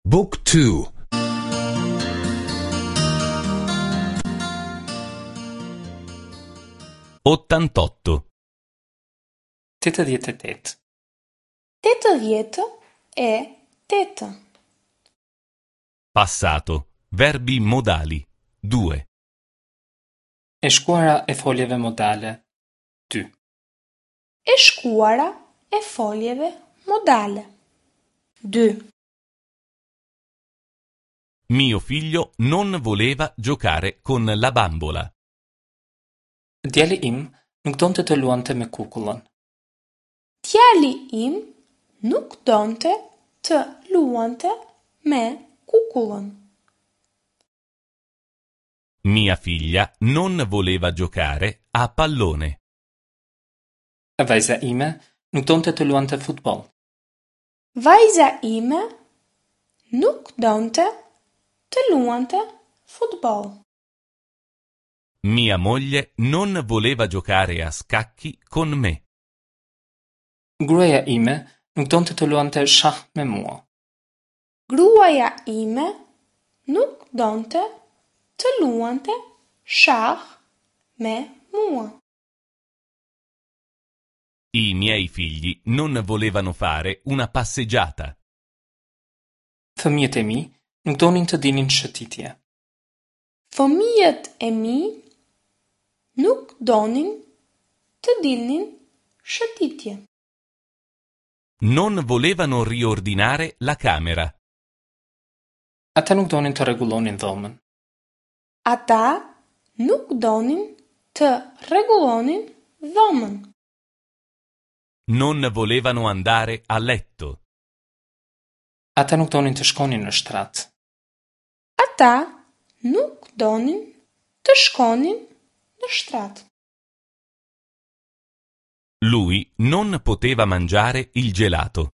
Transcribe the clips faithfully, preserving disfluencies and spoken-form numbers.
Book two. Ottantotto. Tetëdhjetë e tetë. Tetëdhjetë e tetë. Passato. Verbi modali. Due. E shkuara e foljeve modale. Dy. E shkuara e foljeve modale. Dy. Mio figlio non voleva giocare con la bambola. Djali im nuk donte të luante me kukullën. Djali im nuk donte të luante me kukullën. Mia figlia non voleva giocare a pallone. Vajza ime nuk donte të luante futboll. Vajza ime nuk donte të luante futboll. Mia moglie non voleva giocare a scacchi con me. Gruaja ime nuk donte të luante shah me mua. Gruaja ime nuk donte të luante shah me mua. I miei figli non volevano fare una passeggiata. Fëmijët e mi nuk donin të dilnin shëtitje. Fëmijët e mi nuk donin të dilnin shëtitje. Non volevano riordinare la camera. Ata nuk donin të rregullonin dhomën. Ata nuk donin të rregullonin dhomën. Non volevano andare a letto. Ata nuk donin të shkonin në shtrat. Ata nuk donin të shkonin në shtrat. Lui non poteva mangiare il gelato.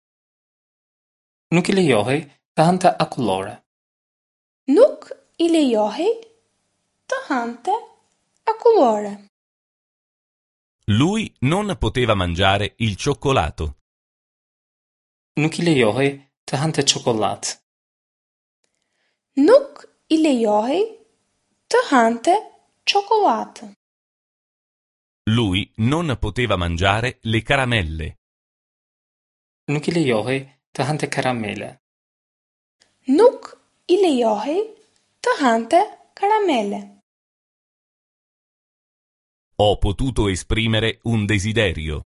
Nuk i lejohej të hante akullore. Nuk i lejohej të hante akullore. Lui non poteva mangiare il cioccolato. Nuk i lejohej të hante çokollatë. Nuk i lejohej të hante çokollatë. Lui non poteva mangiare le caramelle. Nuk i lejohej të hante karamele. Nuk i lejohej të hante karamele. Ho potuto esprimere un desiderio.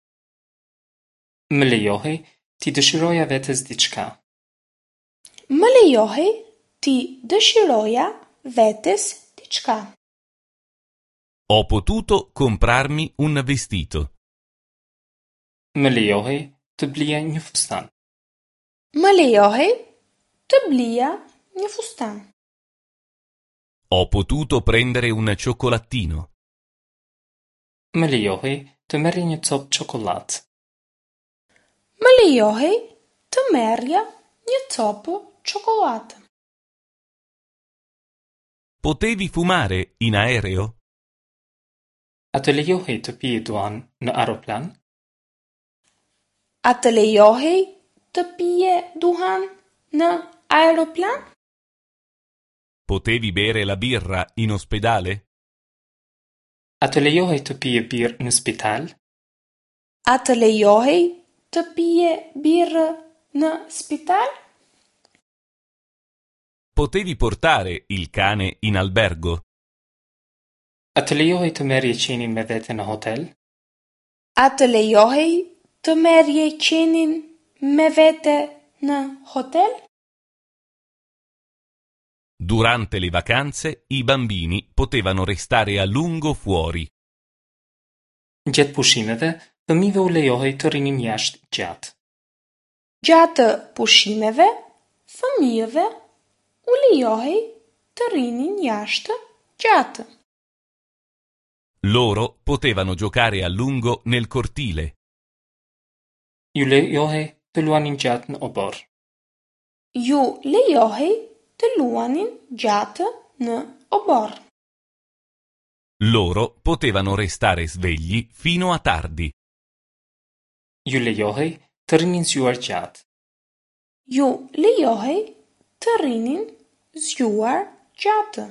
Më lejohej t'i dëshiroja vetes diçka. Më lejohej t'i dëshiroja vetes diçka. Ho potuto comprarmi un vestito. Më lejohej të blija një fustan. Më lejohej të blija një fustan. Ho potuto prendere un cioccolatino. Më lejohej të merrja një copë çokollatë. Më lejohej të merrja një copë çokollatë. Potevi fumare in aereo? A të lejohej të pije duhan në aeroplan? A të lejohej të pije duhan në aeroplan? Potevi bere la birra in ospedale? A të lejohej të pije birrë në spital? A të lejohej të pije birrë në spital? Potevi portare il cane in albergo? A të lejohej të merrje qenin me vete në hotel? A të lejohej të merrje qenin me vete në hotel? Durante le vacanze i bambini potevano restare a lungo fuori. Gjatë pushimeve, fëmijëve u lejohej të rrinin jashtë gjatë. Gjatë pushimeve, fëmijëve u lejohej të rrinin jashtë gjatë. Loro potevano giocare a lungo nel cortile. Ju lejohej të luanin gjatë në oborr. Ju lejohej të luanin gjatë në oborr. Loro potevano restare svegli fino a tardi. Ju lejohej të rrinin zgjuar gjatë. Ju lejohej të rrinin zgjuar gjatë.